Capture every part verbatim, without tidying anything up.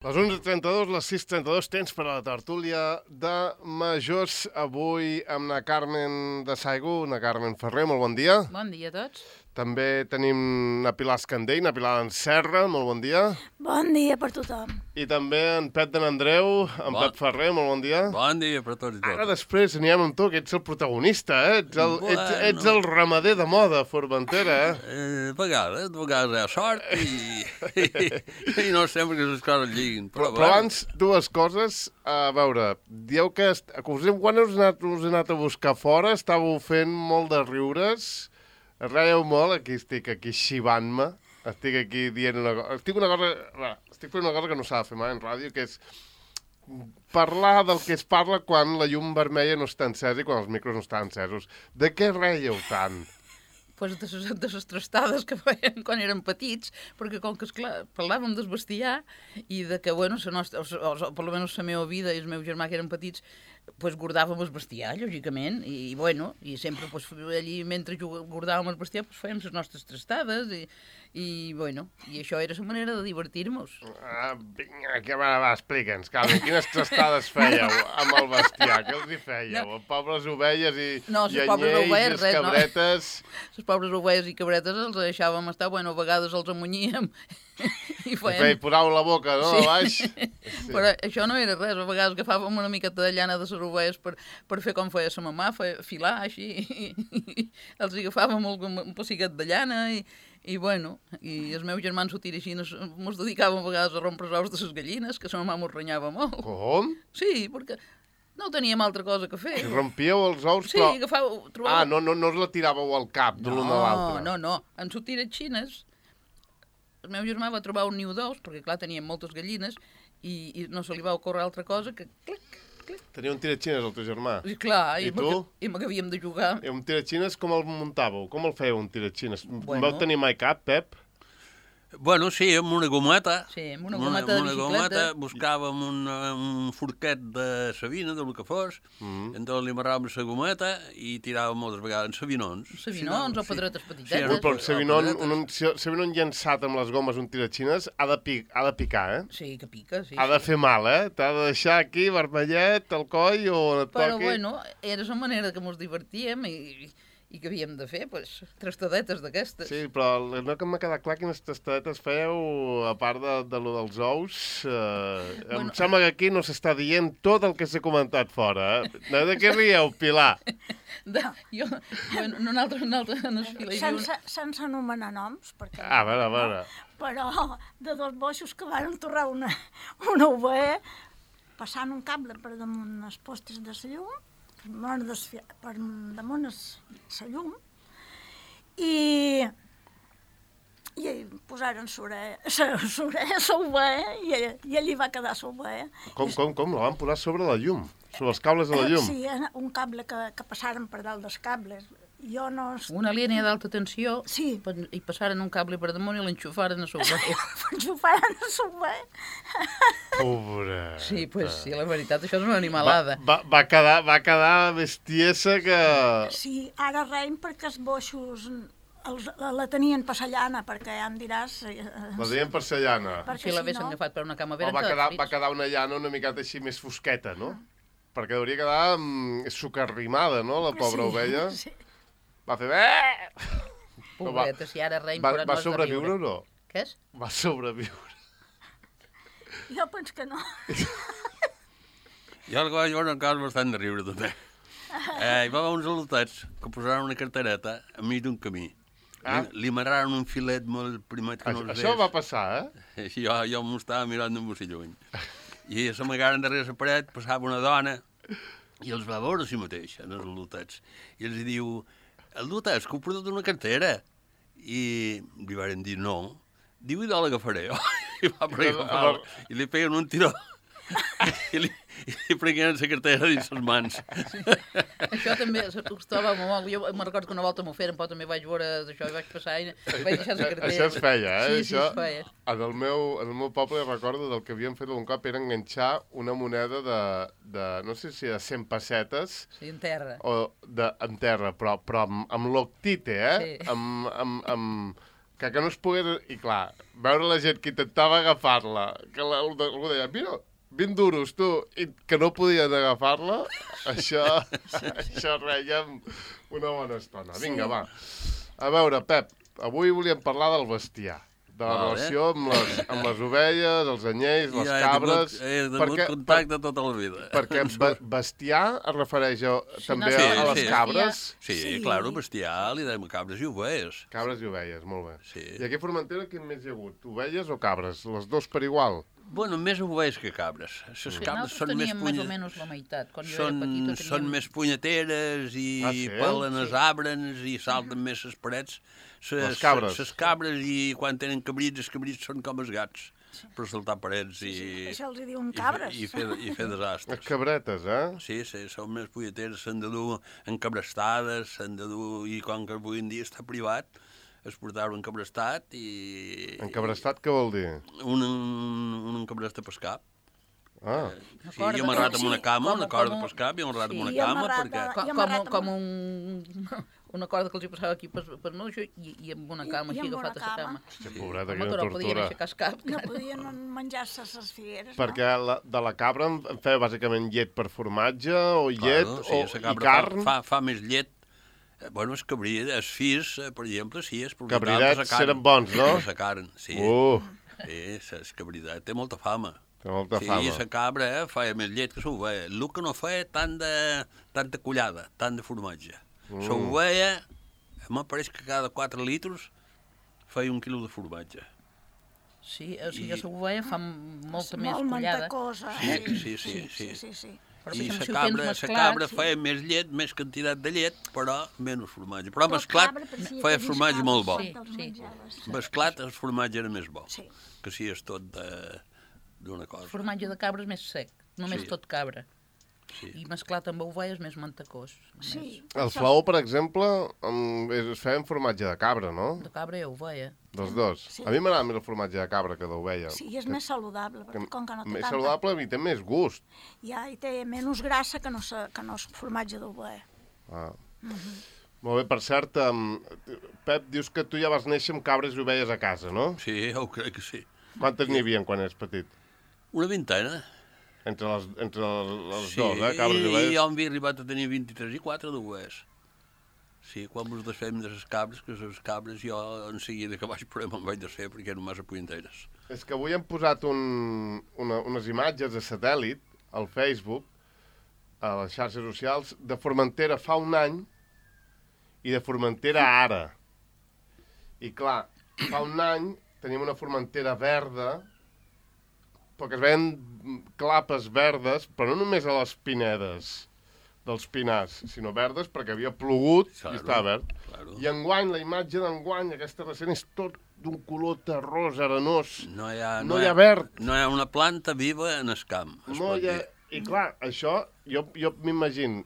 Les onze trenta-dos, les sis trenta-dos, temps per a la tertúlia de majors. Avui amb la Carmen de Saigo, la Carmen Ferrer, molt bon dia. Bon dia a tots. També tenim la Pilar Escandell, la Pilar Serra, molt bon dia. Bon dia per tothom. I també en Pep de n'Andreu, en bon. Pep Ferrer, molt bon dia. Bon dia per tots i tots. Ara després anirem amb tu, que ets el protagonista, eh? Ets el, bueno. ets, ets el ramader de moda, Formentera, eh? eh de vegades, de vegades hi ha sort i, i, i no sempre que les coses lliguin. Però, però, però abans, dues coses. A veure, dieu que, est... que quan us he, anat, us he anat a buscar fora estàveu fent molt de riures. Reieu molt, aquí estic aquí xivant-me, estic aquí dient una cosa, estic, una cosa, va, estic fent una cosa que no s'ha de fer mai en ràdio, que és parlar del que es parla quan la llum vermella no està encesa i quan els micros no estan encesos. De què reieu tant? Pues de les, de les trastades que fèiem quan érem petits, perquè com que, esclar, parlàvem del bestiar i de que, bueno, la nostra, o, o, o per almenys la meva vida i el meu germà que eren petits, pues guardàvem el bestiar, lògicament, i, i bueno, i sempre pues, allí mentre guardàvem el bestiar pues, fèiem les nostres trastades i, i bueno, i això era la manera de divertir-nos. Ah, vinga, que va, va, explica'ns, Carmen, quines trastades fèieu amb el bestiar? Què els hi fèieu? No. Pobres ovelles i no, llenyells, res, cabretes... No. Les pobres ovelles i cabretes els deixàvem estar, bueno, a vegades els amunyíem i feien... I posàveu la boca, no, sí. a baix? Sí. Però això no era res, a vegades agafàvem una miqueta de llana de les ovelles per, per fer com feia sa mamà, feia, filar així, i, i els agafàvem un, un pessiquet de llana i, i bueno, i els meus germans ho tira així, mos dedicàvem a vegades a rompre els ous de les gallines, que sa mamà mos renyava molt. Com? Sí, perquè... no teníem altra cosa que fer. I rompíeu els ous, sí, però... Sí, agafàveu... Trobàveu... Ah, no, no, no us la tiràveu al cap de l'un a l'altre. No, no, no. En sortiren xines. El meu germà va trobar un niu d'ous, perquè, clar, teníem moltes gallines, i, i no se li va ocórrer altra cosa que... Clic, clic. Tenia un tiratxines, el teu germà? I clar, I, i tu? I amb què havíem de jugar. I un tiratxines com el muntàveu? Com el fèieu, un tiratxines? Bueno. Vau tenir mai cap, Pep? Bueno, sí, amb una gometa. Sí, amb una gometa de bicicleta. Una gometa, buscàvem un, un forquet de sabina, del que fos, mm. entonces li amarràvem la gometa i tiràvem moltes vegades sabinons. Sabinons sí, o pedretes sí. petitetes. Sí, però el sabinon, un, un sabinon llançat amb les gomes, un tiratxines, ha de, pic, ha de picar, eh? Sí, que pica, sí. Ha de fer mal, eh? T'ha de deixar aquí, vermellet, al coll o on et però, toqui. Però, bueno, era la manera que mos divertíem i... I què havíem de fer? Pues, trastadetes d'aquestes. Sí, però no que m'ha quedat clar quines trastadetes fèieu, a part de, de lo dels ous. Eh, bueno. Em sembla que aquí no s'està dient tot el que s'ha comentat fora. Eh? De què rieu, Pilar? De, jo, bueno, nosaltres, nosaltres no es fila. Sense, sense anomenar noms. Perquè ah, a veure, a veure. Però de dos boixos que van enterrar una, una ovella passant un cable per damunt els postes de la llum, per, per damunt la llum, i, i posaren l'ovella i, i allí va quedar l'ovella. Com, com, com? La van posar sobre la llum? Sobre els cables de la llum? Sí, un cable que, que passaren per dalt dels cables. Jo no... Una línia d'alta tensió sí. i passaren un cable per damunt i l'enxufaren a l'ovella. L'enxufaren a l'ovella. Pobra. Sí, pues, sí, la veritat, això és una animalada. Va, va, va, quedar, va quedar bestiesa que... Sí, ara reim perquè els boixos els, la, la tenien per la llana, perquè ja em diràs... Eh, la tenien per la llana. Si si l'haguessin no... agafat per una cama vera... Va quedar, va quedar una llana una miqueta així més fosqueta, no? Ah. Perquè hauria quedar mm, sucarrimada, no?, la pobra sí, ovella. Sí. Va fer... Pobreta, si ara reim... Va, va sobreviure o no? Què és? Va sobreviure. Jo penso que no. Jo el vaig veure un cas bastant de riure, també. Eh, hi va haver uns al·lotats que posaran una cartereta enmig d'un camí. Ah. Li, li amarraren un filet molt primet que no els Això va passar, eh? Jo, jo m'ho estava mirant d'un bocí lluny. I s'amagaren darrere la paret, passava una dona, i els va veure a si mateix, en els al·lotats. I els diu... El dotes, que ho portat una cartera. I li van dir no. Diu, i de l'agafaré. I va per agafar i li peguen un tiró. I li, i li prengueren la cartera dins les mans. Sí. Això també s'acostava molt. Jo me'n recordo que una volta m'ho feren, però també vaig veure això i vaig passar i vaig deixar la cartera. Això es feia, eh? Sí, això, sí, es feia. En el, meu, en el meu poble recordo del que havien fet un cop era enganxar una moneda de, de no sé si de cent pessetes. Sí, en terra. O de, en terra, però, però amb, amb l'octite, eh? Sí. Amb, amb, amb, que, que no es pogués... I clar, veure la gent que intentava agafar-la, que la, algú deia, mira, vint duros, tu, i que no podien agafar-la, això, això rèiem una bona estona. Vinga, Sí. va. A veure, Pep, avui volíem parlar del bestiar, de la Vale. relació amb les, amb les ovelles, els anyells, les Ja he cabres... tingut, he tingut contacte tota la vida. Perquè be- bestiar es refereix a, també no, a, sí, a les sí. cabres. Sí, Sí. claro, bestiar, li dèiem cabres i ovelles. Cabres i ovelles, molt bé. Sí. I aquí a Formentera quin més hi ha hagut? Ovelles o cabres? Les dos per igual? Bueno, més ovelles que cabres. Les Sí, cabres nosaltres són més, teníem més punya... o menys la meitat. Quan jo són, era petita teníem... són més punyeteres i Ah, sí? pelen els Sí. arbres i salten més les parets. Ses, Les cabres. Les cabres, i quan tenen cabrits, els cabrits són com els gats, per saltar parets i, Això els hi diuen i, fer, cabres. i, fer, i fer Les desastres. cabretes, eh? Sí, sí, són més punyeteres, s'han de dur encabrestades, s'han de dur... I com que avui en dia està privat, es portava encabrestat i... Encabrestat què vol dir? Un, un, un encabrest de pescar. Ah, Una Sí, corda i amarrat amb sí, una cama, com- una corda com- de pescar, i amarrat amb sí. una I cama, amarrat perquè... a- Com, I com, amarrat com amb- un, una corda que els hi passava aquí per, per no, això, i, i amb una cama, I així amb una agafat a la cama. cama. hòstia, pobreta, Home, quina que no podien tortura. aixecar el cap. No podien menjar-se les figueres, Perquè la, de la cabra en en feia bàsicament llet per formatge, o llet, Claro, o, sí, i la cabra carn. fa, fa, fa més llet. Eh, Bueno, els cabrits, els fills, eh, per exemple, sí, és propietat Cabridets de la carn. eren bons, no? De la carn, sí. Uh, Sí, el cabridet té molta fama. té molta sí, fama. i la cabra eh, feia més llet que l'ovella. El que no feia tant de, tanta collada, tant de formatge. Mm. L'ovella, em pareix que cada quatre litres feia un quilo de formatge. Sí, o sigui, I- la ovella fa molta més molt collada. mantecosa. Sí, eh? sí, sí, sí. sí, sí, sí. Però, I per exemple, la si ho cabra, tens la mesclat, cabra sí. feia més llet, més quantitat de llet, però menys formatge. Però Però mesclat cabra parecia feia que formatge lliscava molt bo. quan Sí, te'ls sí. menjaves. Mesclat el formatge era més bo, Sí. que si és tot de- d'una El cosa. formatge de cabra és més sec, només Sí. tot cabra. Sí. I mesclat amb ovella és més mantecós. Sí. Més. El això- flaó, per exemple, em- es feia en formatge de cabra, no? De cabra i ovella. Dels dos. Sí. A mi m'agrada més el formatge de cabra que d'ovella. Sí, i és més saludable, perquè com que no té Més tanta... saludable i té més gust. Ja, i té menys grassa que no, sa- que no és formatge d'ovella. Ah. Molt bé, per cert, um, Pep, dius que tu ja vas néixer amb cabres i ovelles a casa, no? Sí, ho crec que sí. Quantes n'hi havia quan eres petit? Una vintena. Entre les, entre les Sí, dos, eh? Cabres i i, i ovelles. jo em havia arribat a tenir vint-i-tres i quatre d'ovelles. Sí, quan mos desfem de les cabres, que les cabres jo en seguida que vaig poder me'n vaig desfer perquè eren massa puenteres. És que avui hem posat un, una, unes imatges de satèl·lit al Facebook, a les xarxes socials, de Formentera fa un any i de Formentera ara. I clar, fa un any teníem una Formentera verda, perquè es veien clapes verdes, però no només a les pinedes dels pinars, sinó verdes perquè havia plogut Claro, i estava verd. claro. I enguany, la imatge d'enguany, aquesta recent, és tot d'un color terrós, arenós. No hi ha, No hi ha verd. No hi ha una planta viva en el camp, es No pot hi ha... dir. I clar, això, jo, jo m'imagino,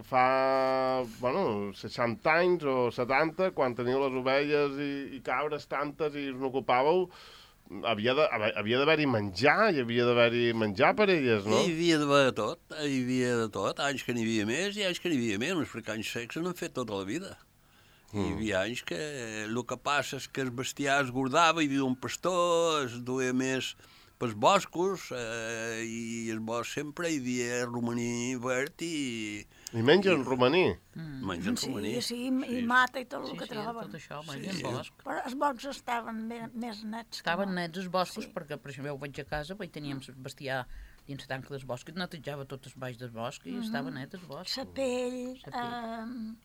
fa, bueno, seixanta anys o setanta, quan teniu les ovelles i, i cabres tantes i us n'ocupàveu, havia de- havia d'haver-hi menjar, hi havia d'haver-hi menjar per elles, no? Hi havia d'haver de tot, hi havia de tot, anys que n'hi havia més i anys que n'hi havia menys, perquè anys secs n'han fet tota la vida. Mm. Hi havia anys que el que passa és que el bestiar es guardava, hi havia un pastor, es duia més pels boscos, eh, i el bosc sempre hi havia romaní verd i I mengen romaní. Mm. mengen Sí, romaní. sí, i mata i tot el Sí, que sí, troben. tot això, Sí. mengen bosc. Però els boscs estaven me- més nets. que Estaven no. nets els boscos, Sí. perquè, per exemple, jo vaig a casa, vaig teníem el bestiar dins la tanca del bosc, i netejava tot el baix del bosc, i estava net el bosc. La pell... Sa pell.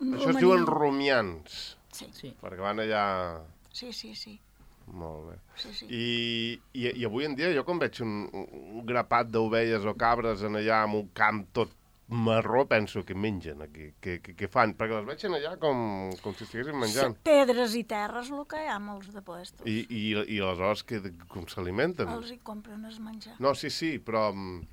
Eh, Això es diuen rumians, Sí, Sí. perquè van allà... sí, sí, sí. Molt bé. sí, sí. I, i, I avui en dia, jo quan veig un, un grapat d'ovelles o cabres en allà en un camp tot marró, penso que mengen aquí, que, que, que fan, perquè les veig en allà com, com si estiguessin menjant. Pedres i terres, el que hi ha molts de puestos. I, i, i aleshores que, com s'alimenten? Els hi compren el menjar. No, sí, sí, però... mm,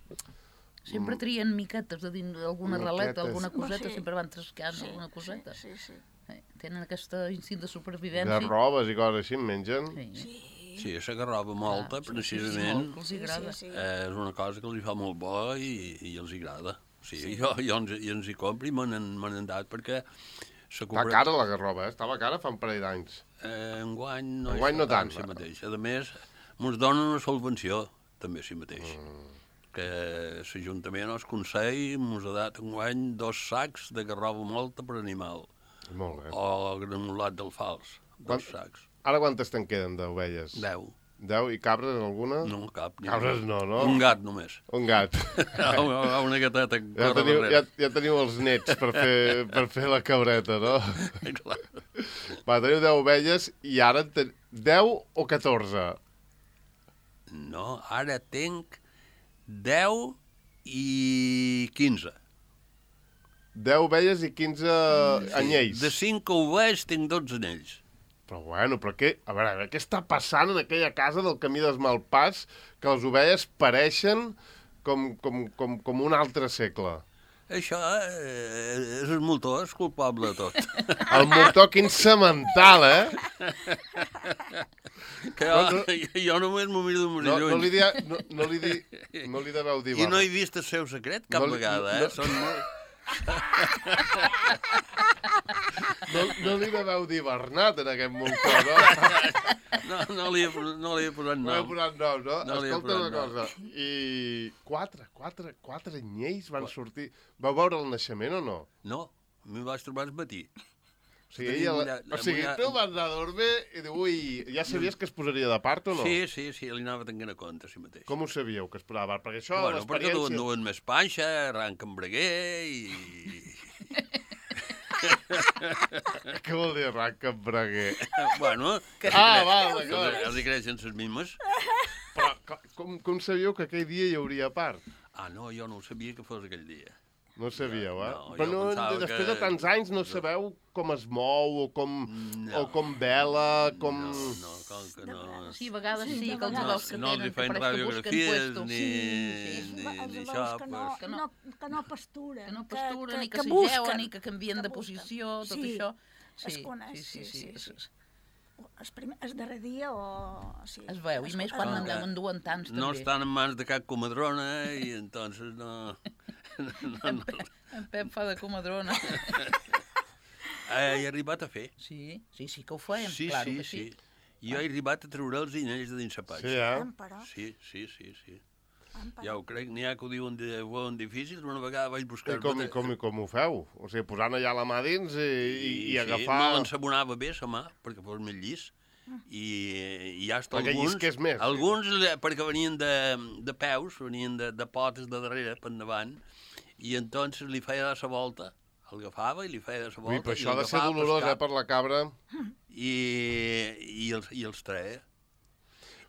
Sempre trien miquetes de dins alguna Miquetes. raleta, alguna coseta, Sí. sempre van trascant Sí, alguna coseta. Sí, sí, Eh, Tenen aquest instint de de supervivència. robes i coses així en mengen. Sí. sí. Sí, la garroba molta, Ah, sí, precisament, molt, que els hi agrada. Sí, sí, sí. eh, és una cosa que els hi fa molt bo i, i els hi agrada. Sí, sí. Jo, jo ens, i ens hi compro i me n'han me n'han dat perquè Està cara la garroba, eh? Estava cara fa un parell d'anys. Eh, enguany no, enguany no tant. Si mateix. A més, ens donen una subvenció, també si mateix. Mm. Que l'Ajuntament o el Consell ens ha dat enguany dos sacs de garroba molta per animal. Molt bé. O granulat d'alfals, dos Quant... sacs. Ara quantes te'n queden d'ovelles? Deu. Deu i cabres alguna? No, cap. Cabres no, no? Un gat només. Un gat. Una gateta. Ja teniu, ja, ja teniu els nets per fer, per fer la cabreta, no? Clar. Va, teniu deu ovelles i ara ten... deu o catorze? No, ara tenc deu i quinze. deu ovelles i quinze sí. anyells. De cinc ovelles tinc dotze anyells. Però bueno, però què... A veure, a veure, què està passant en aquella casa del Camí dels Malpàs que les ovelles pareixen com, com, com, com un altre segle? Això eh, és el motor, és culpable de tot. El motor, quin semental, eh? Que jo, no, jo només m'ho miro d'un no, lluny. No li, dia, no, no li, di, no li deveu dir... I no he vist el seu secret cap no li, vegada, eh? No, Són molt... No, no li deveu dir Bernat en aquest motor, no? No, no li he, no li he posat nom. No li he posat nom, no? no Escolta una cosa. I quatre, quatre, quatre anyells van Qua... sortir... Vau veure el naixement o no? No, m'hi vaig trobar el matí. O sigui, ella, la... o sigui tu vas anar a dormir i diu, ui, ja sabies que es posaria de part o no? Sí, sí, sí, li anava tenint a compte a si mateix. Com ho sabíeu, que es posava de part? Perquè això, bueno, l'experiència... Bueno, perquè duen, duen més panxa, arranca en breguer i... Què vol dir arranca en breguer? Bueno, que ah, va, d'acord. Els hi creixen les mimes. Però com, com sabíeu que aquell dia hi hauria part? Ah, no, jo no ho sabia que fos aquell dia. No sabíeu, eh? No, però no, després que... de tants anys no sabeu com es mou o com, no. o com vela, com... No, no, com que no... Sí, a vegades sí, que els no, veus que no tenen, li feien radiografies ni, sí, sí. ni, ni això. Que no, que, no, que no pasturen. Que no pasturen, que, ni que, que s'ageuen, ni que canvien que de posició, tot sí, això. Sí, es coneix, sí, sí. sí, sí. El, primer, el darrer dia o... Sí, es veu, i més quan en deuen duen tants, també. No estan en mans de cap comadrona i entonces no... no, no. En Pep fa de comadrona. He arribat a fer. Sí, sí, sí que ho fèiem, sí, clar sí, que sí. sí. Jo he arribat a treure els inells de dins la panxa. Sí, eh? Sí, sí, sí, sí. Ja ho crec, n'hi ha que ho diuen, diuen difícils, una vegada vaig buscar... I com, com, com ho feu? O sigui, posant allà la mà dins i, i, i agafar... Sí, no l'ensabonava bé, la mà, perquè fos més llis. I, i ja està perquè alguns... llisqués més. Alguns, sí. Perquè venien de, de peus, venien de, de potes de darrere, per endavant, i entonces li feia la volta, el agafava i li feia la volta... Ui, però això ha de ser dolorós, eh, per la cabra. I, i, els, i els treia.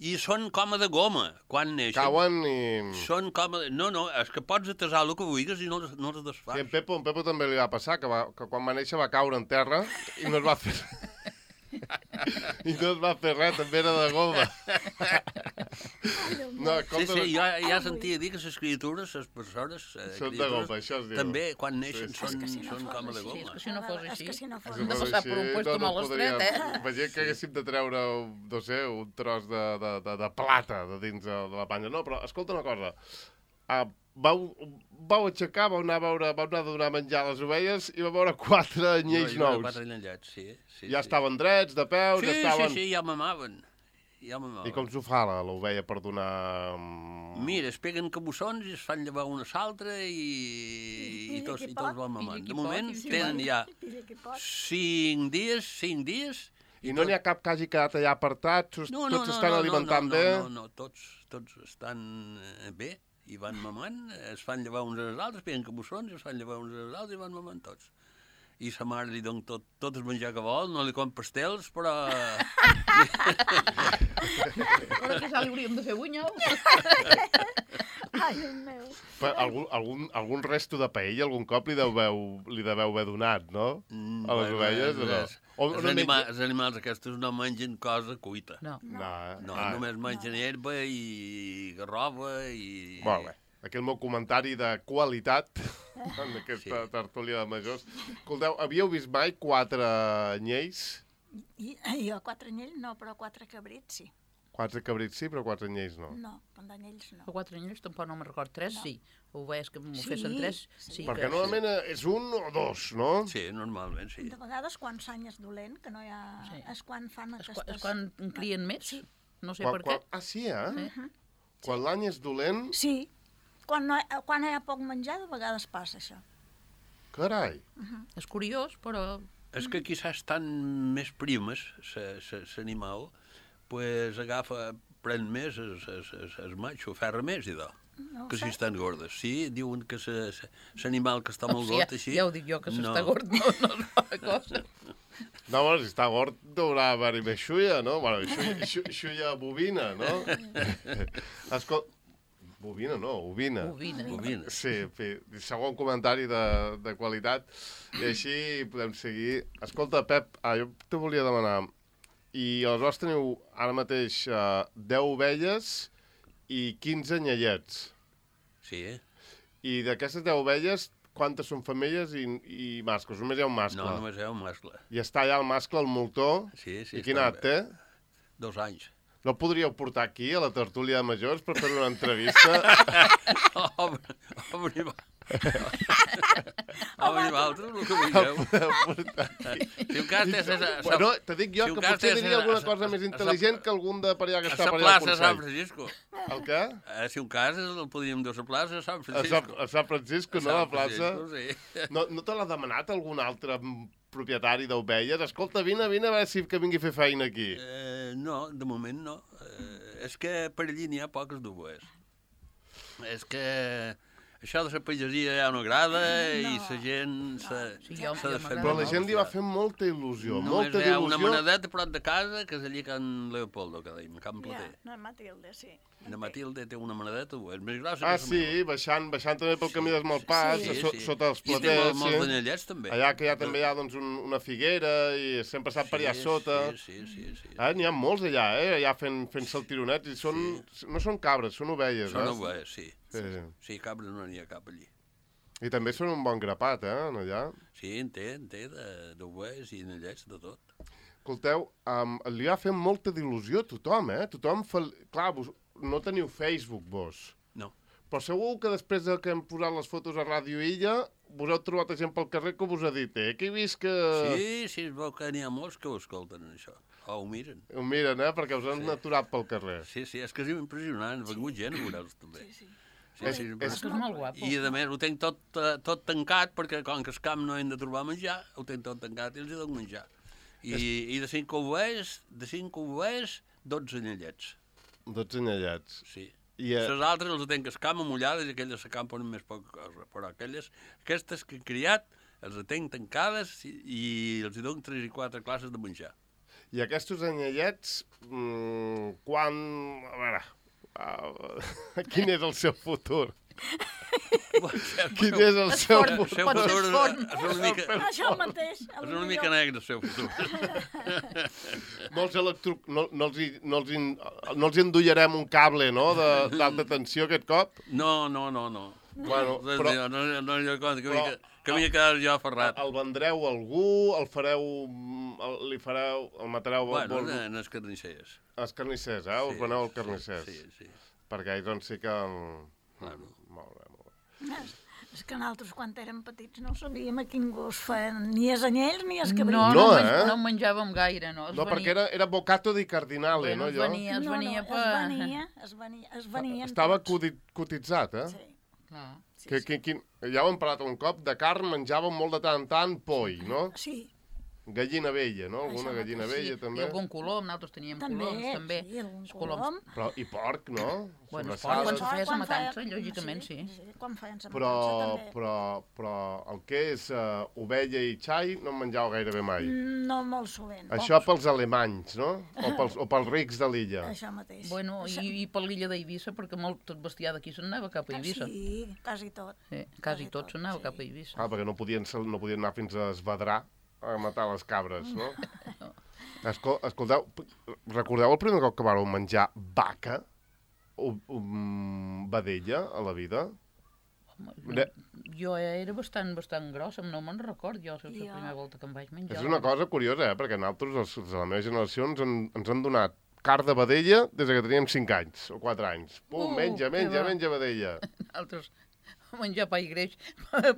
I són com de goma, quan neixen. Cauen i... Són com de... No, no, és que pots atesar el que vulguis i no, no els desfas. Sí, en Pepo, en Pepo també li va passar, que, va, que quan va néixer va caure en terra i no es va fer... I no es va fer res, també era de goma. No, sí, sí, jo ja sentia dir que les criatures, les persones... Eh, són de goma, això es diu. També, quan neixen, sí, sí. són, si no són com de goma. És que si no fos així, si no fos hem de passar per un puesto no, no molt estret, eh? Imagina que haguéssim de treure, no sé, un tros de, de, de, de plata de dins de la panya. No, però escolta una cosa. Uh, vau, vau aixecar, vau anar a veure, vau anar a donar menjar a les ovelles i vau veure quatre anyells no, nous. Quatre anyells, sí, sí. Ja sí. estaven drets, de peus, sí, ja estaven... Sí, sí, ja mamaven. Ja mamaven. I com s'ho fa l'ovella per donar... Mira, es peguen cabussons i es fan llevar una a l'altra i, i, i, tots, i tots van mamant. De moment tenen ja cinc dies, cinc dies... I no n'hi ha cap que hagi quedat allà apartat? No, no, tots no, estan no, alimentant no, no, bé? No, no, no, tots, tots estan bé i van mamant, es fan llevar uns als altres, peguen cabussons, es fan llevar uns als altres i van mamant tots. I sa mare li dona tot, tot el menjar que vol, no li com pastels, però... Però que ja li hauríem de fer bunyols. Ai, el meu. Però algun, algun, algun resto de paella algun cop li deveu, li deveu haver donat, no? Mm, a les bueno, ovelles, o no? Els, O, els, no anima, menja... els animals aquests no mengen cosa cuita. No. No, eh? No, ah. només mengen herba i garrova i... Molt bé. Aquí el meu comentari de qualitat en aquesta sí. tertúlia de majors. Escolteu, havíeu vist mai quatre anyells? I, jo quatre anyells no, però quatre cabrits sí. Quatre cabrits sí, però quatre anyells no. No, pandanyells no. A quatre anyells tampoc no me'n record. Tres, No. sí. Ovelles que m'ho Sí, fessin tres, sí. sí. Perquè que... normalment eh, és un o dos, no? Sí, normalment, sí. De vegades, quan s'any és dolent, que no hi ha... Sí. És quan fan És, aquestes... quan, és quan en crien més? Sí. No sé Quan, per què. quan... Ah, sí, eh? Sí. Quan l'any és dolent, Sí, quan, no, hi- quan hi ha poc menjar, de vegades passa això. carai. És curiós, però... És que quizás estan més primes, l'animal, pues agafa, pren més es, es, es, es matxo, ferra més, i do. No ho Que si sé. estan gordes. Sí, diuen que l'animal que està molt O sigui, gord, així... ja ho dic jo, que s'està no. gord no, no és bona cosa. No, bueno, si està gord, deurà haver-hi més xulla, no? Bueno, xulla, xulla, xulla bovina, no? Escol... Bovina, no, ovina. Ovina. Bovina. Sí, en fi, segon comentari de, de qualitat. I així podem seguir. Escolta, Pep, ah, jo te volia demanar, i aleshores teniu ara mateix uh, deu ovelles i quinze anyellets. Sí, eh? I d'aquestes deu ovelles, quantes són femelles i, i mascles? Només hi ha un mascle. No, només hi ha un mascle. I està allà el mascle, el moltó. Sí, sí. I quin està edat té? bé. Dos anys. No el podríeu portar aquí, a la tertúlia de majors, per fer una entrevista? Obre, obre, va. Obre, vosaltres, el que vulgueu. Si un cas té... Bueno, te dic jo si un que cas potser té- diria alguna a- cosa a- més a- intel·ligent que algun de per allà que A està la per allà al plaça de Sant Consell. Francisco. El què? Eh, si un cas el podríem dur a la plaça de Sant A Sant, Francisco. a Sant Francisco, no? A la plaça. Francisco, sí. No, no te l'ha demanat algun altre propietari d'ovelles? Escolta, vine, vine a veure si que vingui a fer feina aquí. Eh, no, de moment no. Eh, és que per allí n'hi ha poques d'ovelles. És que això de la pagesia ja no agrada i la gent s'ha Sí, jo- s'ha de jo fer... Però la m'agrada. gent li va fer molta il·lusió, Només molta hi ha una il·lusió. manadeta prop de casa, que és allí Can Leopoldo, que deim, Can Ja, Plater. no, Matilde, sí. La Matilde té una manadeta, és més grossa Ah, que la sí, meva. baixant, baixant també pel camí dels Malpàs, Sí, so, sí. sota els I té platers, molt, molts sí. d'anyellets, també. Allà que ja també hi ha doncs, un, una figuera i sempre s'ha per allà Sí, sota. Sí, sí, sí. sí. Ah, n'hi ha molts allà, eh? Allà fent, fent-se el tironet. I són, no són cabres, són ovelles, Són eh? ovelles, sí. Sí, sí. Sí, cabres no n'hi ha cap allí. I també són un bon grapat, eh, en allà. Sí, en té, en té de- d'ovelles i anyellets, de tot. Escolteu, um, li ha fet molta d'il·lusió a tothom, eh? Tothom fa... Clar, vos, no teniu Facebook, vos. No. Però segur que després de que hem posat les fotos a Ràdio Illa, vos heu trobat gent pel carrer que vos ha dit, eh? Que he vist que... Sí, sí, es veu que n'hi ha molts que ho escolten, això. O ho miren. Ho miren, eh? Perquè us han Sí. aturat pel carrer. Sí, sí, és que és impressionant. Ha vengut gent a veure'ls, també. Sí, sí. Sí, És- sí, és- Que és molt guapo. I, a més, ho tenc tot, eh, tot tancat, perquè com que el camp no hem de trobar menjar, ho tenc tot tancat i els hi dono menjar. I, i de cinc ovelles, de cinc ovelles, dotze anyellets. dotze anyellets. Sí. I, eh, Les altres els tenc escam amullades i aquelles s'acampen amb més poca cosa. Però aquelles, aquestes que he criat, els tenc tancades i, i els hi dono tres i quatre classes de menjar. I aquests anyellets, mmm, quan... A veure, uh, quin és el seu futur? Quin és el És seu fort, futur? pot ser fort. és una mica, Això mateix. és una mica negre el seu futur. No els, electro... no, no, els, hi, no, els, hi, no els hi endollarem un cable, no?, de- d'alta tensió aquest cop? No, no, no, no. Bueno, No, però no, no, no, no, que però- m'hi que m'hi he quedat jo aferrat. el vendreu a algú, el fareu, el, li fareu, el matareu Bueno, vol, en els carnissers. els carnissers, eh? Us veneu als carnissers. Sí, sí. Perquè ells doncs sí que... Claro. Molt bé, molt bé. És, és que nosaltres, quan érem petits, no sabíem a quin gust feien ni els anyells ni els No, cabrits. no, No, no, eh? no en menjàvem gaire, no. Es No, perquè era, era bocato di cardinale, Bueno, no, es allò? venia, es no, venia no, per... es venia, es venia, es venien Estava tots. codi- cotitzat, eh? Sí, Clar. sí, Que, que, que, ja ho hem parlat un cop, de carn menjàvem molt de tant en tant poi, no? sí, Gallina vella, no? Alguna Això gallina mateix, vella, I també. algun colom, nosaltres teníem també, coloms, també. sí, algun Els coloms. colom. Però, i porc, no? Bueno, Sobrassades. porc, quan se feia sa Quan matança, feien- lògicament, sí. sí. Quan feien sa Però, matança, també. però, però el que és uh, ovella i xai no en menjau gairebé mai. No molt sovint. Això pels alemanys, no? O pels, o pels rics de l'illa. Això mateix. Bueno, Això- i, i per l'illa d'Eivissa, perquè molt tot bestiar d'aquí se'n anava cap a Eivissa. Sí, quasi tot. Sí, quasi tot se'n anava sí. cap a Eivissa. Ah, perquè no podien, sal- no podien anar fins a Esvedrar a matar les cabres, no? Escol escolteu, p- recordeu el primer cop que vareu menjar vaca o um, vedella a la vida? Home, Ne- jo era bastant, bastant grossa, no me'n record jo, la Jo- primera volta que em vaig menjar. És una cosa curiosa, eh? Perquè nosaltres, els, els de la meva generació, ens han, ens han donat carn de vedella des que teníem cinc anys o quatre anys. Pum, Uh, menja, que menja, bo. menja vedella. Altres menjar pa i greix,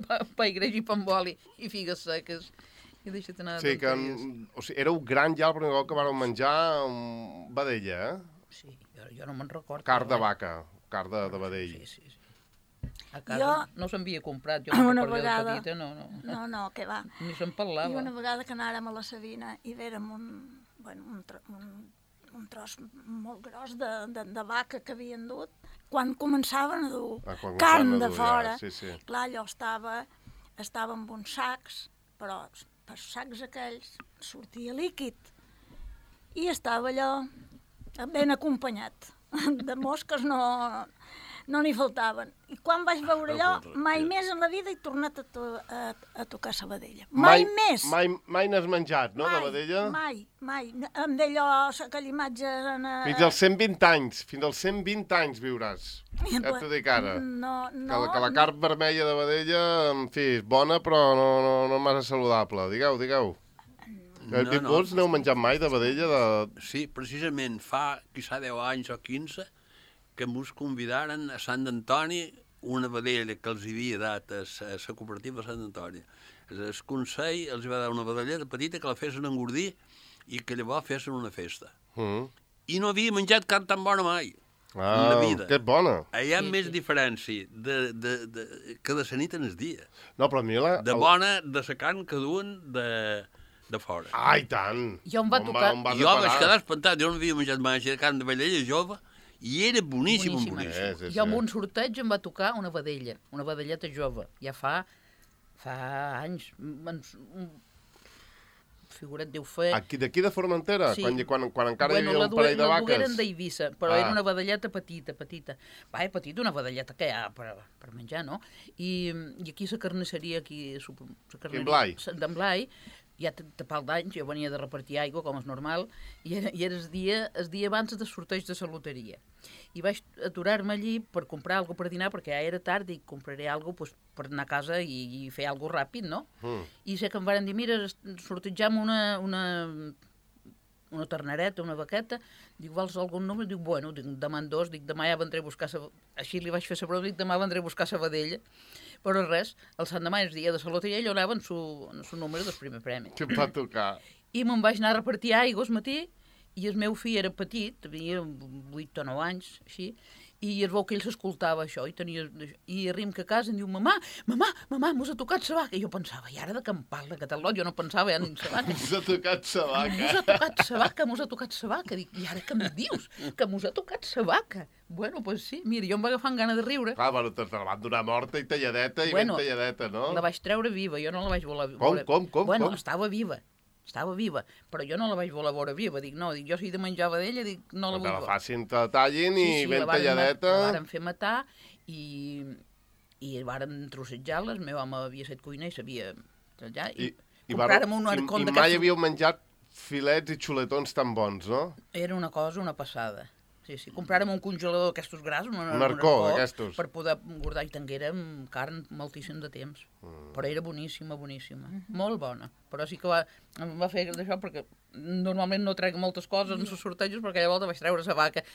pa, pa i greix i pa amb oli i figues seques. I deixa't anar de Sí, que tonteries. o sigui, éreu gran ja el primer cop que vareu menjar um, vedella, eh? Sí, jo, jo no me'n recordo. Carn de però vaca, carn de, de vedell. Sí, sí, sí. A casa Jo- no s'havia comprat, jo Una no recordo vegada- de petita, no, no. No, no, que va. Ni se'n I parlava. una vegada que anàrem a la Sabina i vèrem un, bueno, un, tro, un, un tros molt gros de, de, de vaca que havien dut, quan començaven a dur Ah, quan carn començaven a de dur, ja, fora, sí, sí. clar, allò estava, estava amb uns sacs, però per sacs aquells sortia líquid. I estava allò ben acompanyat. De mosques no, no n'hi faltaven. I quan vaig veure allò, mai més en la vida he tornat a, to a, a tocar sabadella. Mai, més! Mai, mai n'has menjat, no, mai, de vedella? Mai, mai. Amb d'allò, aquella imatge... En, eh, Fins als cent vint anys, fins als cent vint anys viuràs. Ja t'ho dic ara. No, no. Que la, que la carn vermella de vedella, en fi, és bona, però no, no, no massa saludable. Digueu, digueu. No, no, vols n'heu menjat mai de vedella? De... Sí, precisament fa, quizà deu anys o quinze, que mos convidaren a Sant Antoni una vedella que els havia dat a la cooperativa de Sant Antoni. El Consell els va dar una vedelleta petita que la fessin engordir i que llavors fessin una festa. Mm. I no havia menjat carn tan bona mai. Ah, en la vida. que bona. Hi ha Sí, més sí. diferència de, de, de, que de la nit en el dia. No, però a mi la... De bona, de la carn que duen de, de fora. Ai, tant! Jo em va On tocar- on vas Jo a vaig parar? quedar espantat, jo no havia menjat mai així de carn de vedella jove i era boníssim, Boníssima. boníssim. Eh, sí, sí. Jo amb un sorteig em va tocar una vedella, una vedelleta jove. Ja fa, fa anys. En, un figuret deu fer... Aquí, d'aquí de Formentera? Sí. Quan, quan, quan encara bueno, hi havia la un parell de la vaques? dugueren d'Eivissa, però Ah. era una vedelleta petita, petita. Va, petita, una vedelleta que hi ha per, per menjar, no? I, i aquí la carnisseria, aquí... La carnisseria, Blai. D'en Blai, ja tapal d'anys, jo venia de repartir aigua, com és normal, i era, i era el, dia, el dia abans del sorteig de la loteria. I vaig aturar-me allí per comprar alguna per dinar, perquè ja era tard i compraré alguna pues, per anar a casa i, i fer alguna ràpid, no? Mm. I sé que em van dir, mira, sortejam una, una, una ternereta, una vaqueta, dic, vols algun número? Dic, bueno, dic, demà en dos, dic, demà ja vendré a buscar sa... Així li vaig fer la broma, dic, demà vendré a buscar sa vedella. Però res, el Sant Demà, el dia de la loteria, ell anava en su, en su número del primer premi. Que em va tocar. I me'n vaig anar a repartir aigua al matí, i el meu fill era petit, tenia vuit o nou anys, així, i es veu que ell s'escoltava això, i tenia... I arribem que a casa em diu, mamà, mamà, mamà, mos ha tocat sa vaca. I jo pensava, i ara de què em parla, catalot? Jo no pensava ja ni en sa vaca. Ens ha tocat sa vaca. Mos ha tocat sa vaca, mos ha tocat sa vaca. Dic, i ara què em dius? Que mos ha tocat sa vaca. Bueno, doncs pues sí, mira, jo em va agafar amb gana de riure. Clar, bueno, te la van donar morta i talladeta i Bueno, ben talladeta, no? La vaig treure viva, jo no la vaig voler... Com, voler- com, com, Bueno, com? estava viva, estava viva, però jo no la vaig voler veure viva. Dic, no, dic, jo si he de menjar vedella, dic, no la Que vull la veure. facin, te tallin i ben la varen ma- talladeta. La varen fer matar i, i varen trossejar-la. El meu home havia set cuiner i sabia tallar. I, I, i, compràrem vareu- un i, arcón i d'aquests- mai havíeu menjat filets i xuletons tan bons, no? Era una cosa, una passada. Sí, sí. Compràrem un congelador d'aquestos grassos, un, Un arcó d'aquestos. per poder engordar, i tinguérem carn moltíssim de temps. Mm. Però era boníssima, boníssima. Molt bona. Però sí que va, em va fer d'això perquè normalment no trec moltes coses en els sortejos, perquè aquella volta vaig treure la vaca.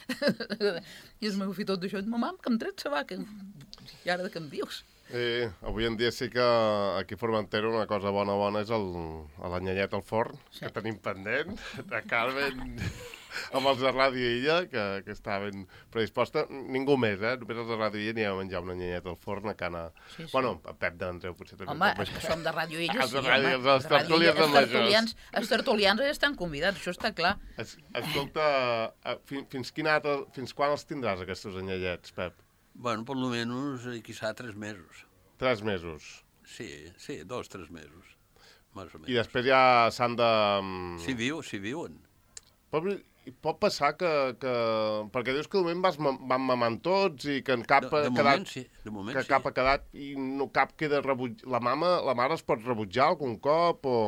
I el meu fill tot d'això, mamà, que em tret la vaca. I ara de què em dius? Eh, avui en dia sí que aquí a Formentera una cosa bona bona és el, l'anyellet al forn, Sí. que tenim pendent, de Carmen, amb els de Ràdio Illa, que, que estaven predisposta. Ningú més, eh? Només els de Ràdio Illa anirem a menjar un anyellet al forn a cana... Sí, sí. Bueno, a Pep d'Andreu potser també. Home, pot és que menjar. som de Ràdio Illa, Els sí, de Ràdio, home. els dels De Ràdio tertulians Illa, de els majors. tertulians, els tertulians ja estan convidats, això està clar. Es, escolta, eh, fins, fins, quina data, fins quan els tindràs, aquests anyellets, Pep? Bueno, por lo menos, eh, quizá tres mesos. Tres mesos. Sí, sí, dos, tres mesos, más o menos. I després ja s'han de... mm, Si viu, si viuen. Pot, pot passar que, que... Perquè dius que de moment vas, ma- van mamant tots i que en cap De, ha de quedat... moment, sí, de moment, que sí. cap ha quedat i no cap queda rebutjat. La mama, la mare es pot rebutjar algun cop o...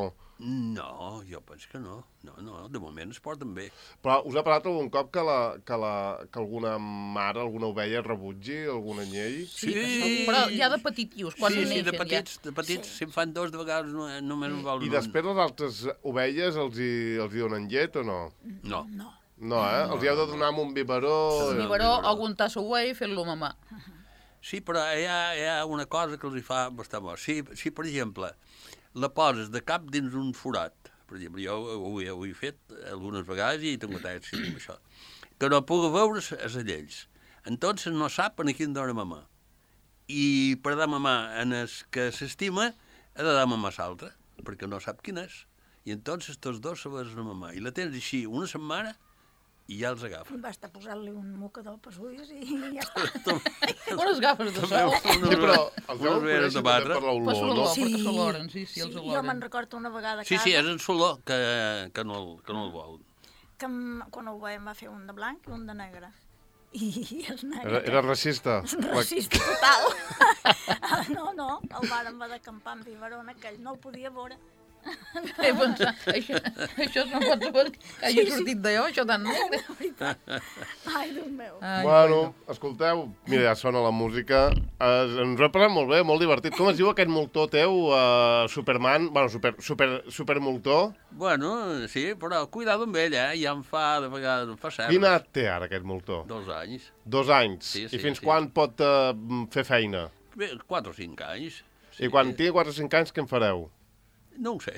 No, jo penso que no. No, no, de moment es porten bé. Però us ha passat algun cop que, la, que, la, que alguna mare, alguna ovella rebutgi algun anyell? Sí, que són- però ja de petitius, quan sí, sí, neixen de petits, ja. de petits, si en fan dos de vegades no, només en volen I un. després les altres ovelles els hi, els hi donen llet o no? No, No. No, eh? Els hi heu de donar amb un biberó... Un biberó o un tasso whey fent-lo mamar. Sí, però hi ha, hi ha una cosa que els hi fa bastant bo. Si, si, per exemple, la poses de cap dins un forat, per exemple, jo ho, he, ho he fet algunes vegades i tinc èxit amb això, que no pugui veure els allells. Entonces no sap en quin dona mamar. I per dar mamar en el que s'estima, ha de dar mamar l'altre, perquè no sap quin és. I entonces tots dos se vas a mamar. I la tens així una setmana i ja els agafa. Basta posar-li un mocador pels ulls i ja està. Unes gafes de sol. Sí, però els heu conèixer també per Per l'olor, l'olor, no? perquè s'oloren, sí, sí, els Sí, jo oloren. me'n recordo una vegada a Sí, casa sí, és el solor que, que, no, el- que no el vol. que em- quan ho veiem va fer un de blanc i un de negre. I els Era, negres... era racista. Racista total. No, no, el vàrem va d'acampar amb biberó en aquell, no el podia veure. He pensat, això, això no pot ser que hagi sortit d'allò, això tan negre. Ai, Déu meu. Ai, Bueno, escolteu, mira, ja sona la música. Es, ens ho he passat molt bé, molt divertit. Com es diu aquest moltó teu, uh, Superman? Bueno, super, super, super moltó. Bueno, sí, però cuidado amb ell, eh? Ja em fa, de vegades, em fa cert. Quina edat té ara aquest moltó? Dos anys. Dos anys. Sí, sí, I fins sí. quan pot uh, fer feina? Bé, quatre o cinc anys. I quan tingui quatre o cinc anys, què en fareu? No ho sé.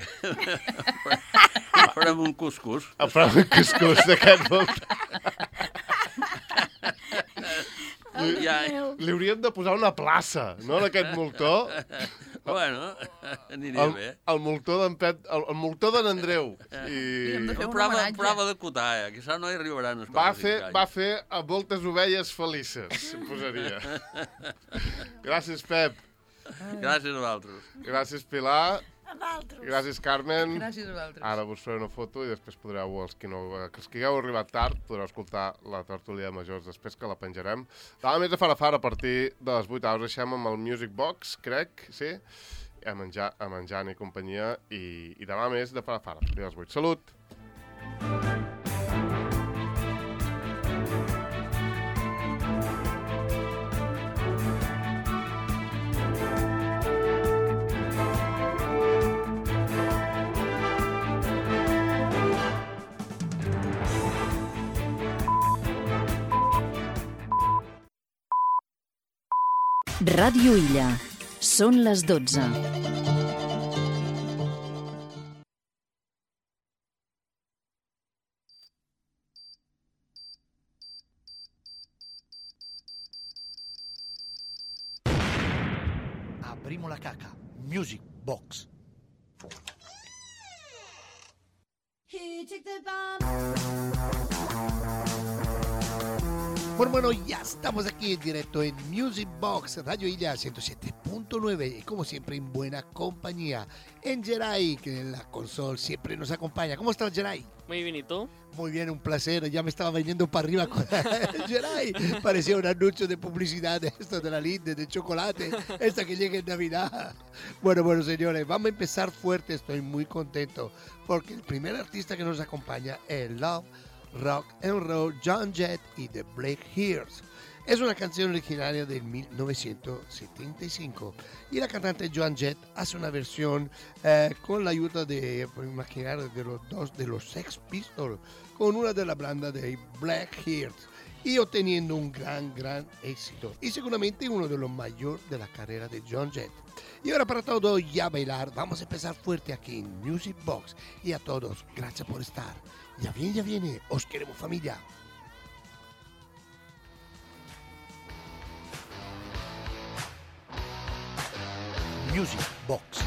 Farem un cuscús. A prou un cuscús d'aquest moltó. Ja, Li hauríem de posar una plaça, no, d'aquest moltó? bueno, aniria El, bé. el moltó d'en Pet, el, el moltó de n'Andreu. I Hem de fer un Prova, homenatge. prova de cotar, eh? Que això no hi arribaran els va quatre o fer, cinc va anys. fer a moltes ovelles felices, posaria. Gràcies, Pep. Gràcies a vosaltres. Gràcies, Pilar. A d'altres. Gràcies, Carmen. Gràcies a vosaltres. Ara vos faré una foto i després podreu, els que, no, els que hagueu arribat tard, podreu escoltar la tertúlia de majors després que la penjarem. Demà més de Farafara a partir de les vuit hores. Deixem amb el Music Box, crec, sí? A menjar, a menjar i companyia. I, I demà més de Farafara a partir de les vuit. Salut! Ràdio Illa. Són les dotze. Abrimo la caca. Music Box. Bueno, bueno, ya estamos aquí en directo en Music Box, Radio Illa ciento siete punto nueve y como siempre en buena compañía. En Geray, que en la consola siempre nos acompaña. ¿Cómo estás, Geray? Muy bien, ¿y tú? Muy bien, un placer. Ya me estaba viniendo para arriba con Geray. Parecía un anuncio de publicidad de esto de la Linde, de chocolate, esta que llega en Navidad. Bueno, bueno, señores, vamos a empezar fuerte. Estoy muy contento porque el primer artista que nos acompaña es Love, Rock and Roll, John Jett y The Black Hears. Es una canción originaria de mil novecientos setenta y cinco y la cantante Joan Jett hace una versión eh, con la ayuda de, por imaginar, de los dos de los Sex Pistols con una de la banda de Black Hearts y obteniendo un gran, gran éxito y seguramente uno de los mayores de la carrera de Joan Jett. Y ahora para todos ya bailar, vamos a empezar fuerte aquí en Music Box y a todos, gracias por estar. Ya viene, ya viene, os queremos familia. Music Box.